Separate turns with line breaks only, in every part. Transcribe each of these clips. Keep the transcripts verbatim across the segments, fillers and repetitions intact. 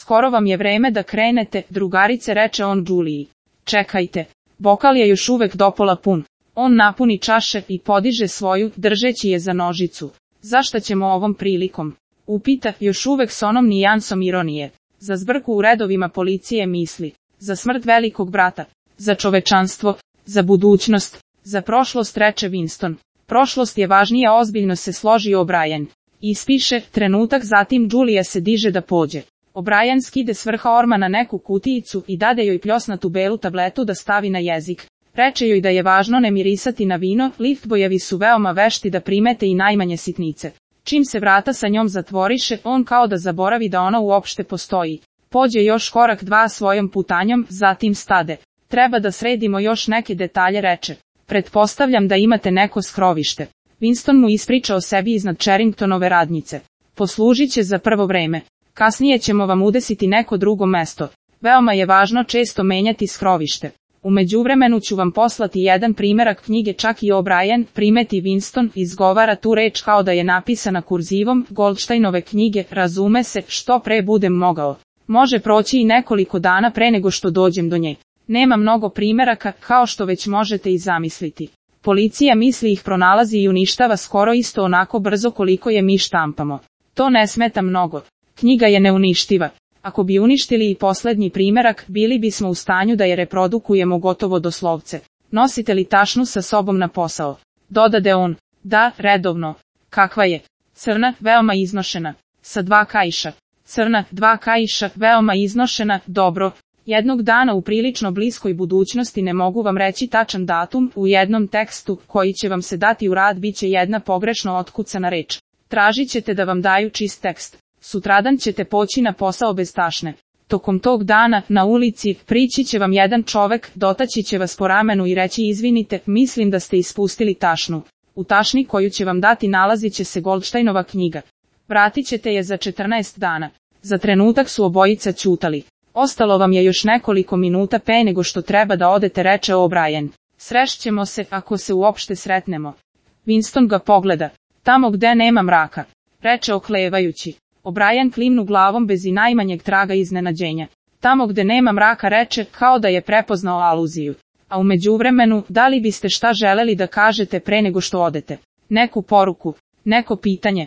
skoro vam je vreme da krenete, drugarice, reče on Juliji. Čekajte, bokal je još uvek dopola pun. On napuni čaše i podiže svoju, držeći je za nožicu. Zašta ćemo ovom prilikom? Upita, još uvek s onom nijansom ironije. Za zbrku u redovima policije misli. Za smrt velikog brata. Za čovečanstvo. Za budućnost. Za prošlost, reče Winston. Prošlost je važnija, ozbiljno se složio O'Brien. Ispiše, trenutak zatim Julija se diže da pođe. O'Brien skide s vrha orma na neku kutijicu i dade joj pljosnatu belu tabletu da stavi na jezik. Reče joj da je važno ne mirisati na vino, liftbojevi su veoma vešti da primete i najmanje sitnice. Čim se vrata sa njom zatvoriše, on kao da zaboravi da ona uopšte postoji. Pođe još korak dva svojom putanjom, zatim stade. Treba da sredimo još neke detalje, reče. Pretpostavljam da imate neko skrovište. Winston mu ispriča o sebi iznad Charringtonove radnjice. Poslužit će za prvo vreme. Kasnije ćemo vam udesiti neko drugo mesto. Veoma je važno često menjati skrovište. U međuvremenu ću vam poslati jedan primerak knjige, čak i O'Brien, primeti Winston, izgovara tu reč kao da je napisana kurzivom, Goldsteinove knjige, razume se, što pre budem mogao. Može proći i nekoliko dana pre nego što dođem do nje. Nema mnogo primeraka, kao što već možete i zamisliti. Policija misli ih pronalazi i uništava skoro isto onako brzo koliko je mi štampamo. To ne smeta mnogo. Knjiga je neuništiva. Ako bi uništili i poslednji primerak, bili bismo u stanju da je reprodukujemo gotovo doslovce. Nosite li tašnu sa sobom na posao? Dodade on. Da, redovno. Kakva je? Crna, veoma iznošena. Sa dva kaiša. Crna, dva kaiša, veoma iznošena, dobro. Jednog dana u prilično bliskoj budućnosti, ne mogu vam reći tačan datum, u jednom tekstu, koji će vam se dati u rad, bit će jedna pogrešno otkucana reč. Tražit ćete da vam daju čist tekst. Sutradan ćete poći na posao bez tašne. Tokom tog dana, na ulici, prići će vam jedan čovek, dotaći će vas po ramenu i reći izvinite, mislim da ste ispustili tašnu. U tašni koju će vam dati nalazit će se Goldsteinova knjiga. Vratit ćete je za četrnaest dana. Za trenutak su obojica ćutali. Ostalo vam je još nekoliko minuta pe nego što treba da odete, reče O'Brien. Srešćemo se, ako se uopšte sretnemo. Winston ga pogleda. Tamo gde nema mraka, reče oklevajući. O'Brien klimnu glavom bez i najmanjeg traga iznenađenja. Tamo gde nema mraka, reče, kao da je prepoznao aluziju. A u međuvremenu, da li biste šta želeli da kažete pre nego što odete? Neku poruku, neko pitanje.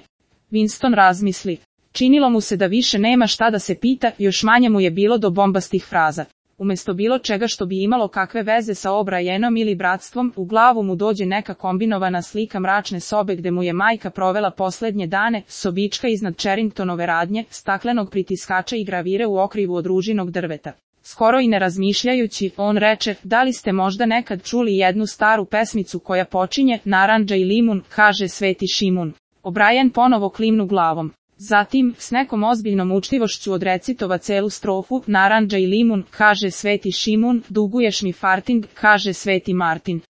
Winston razmisli. Činilo mu se da više nema šta da se pita, još manje mu je bilo do bombastih fraza. Umesto bilo čega što bi imalo kakve veze sa O'Brienom ili bratstvom, u glavu mu dođe neka kombinovana slika mračne sobe gde mu je majka provela poslednje dane, sobička iznad Charringtonove radnje, staklenog pritiskača i gravire u okrivu od ružinog drveta. Skoro i ne razmišljajući, on reče, da li ste možda nekad čuli jednu staru pesmicu koja počinje, narandža i limun, kaže Sveti Šimun. O'Brien ponovo klimnu glavom. Zatim, s nekom ozbiljnom učtivošću odrecitova celu strofu, narandža i limun, kaže Sveti Šimun, duguješ mi farting, kaže Sveti Martin.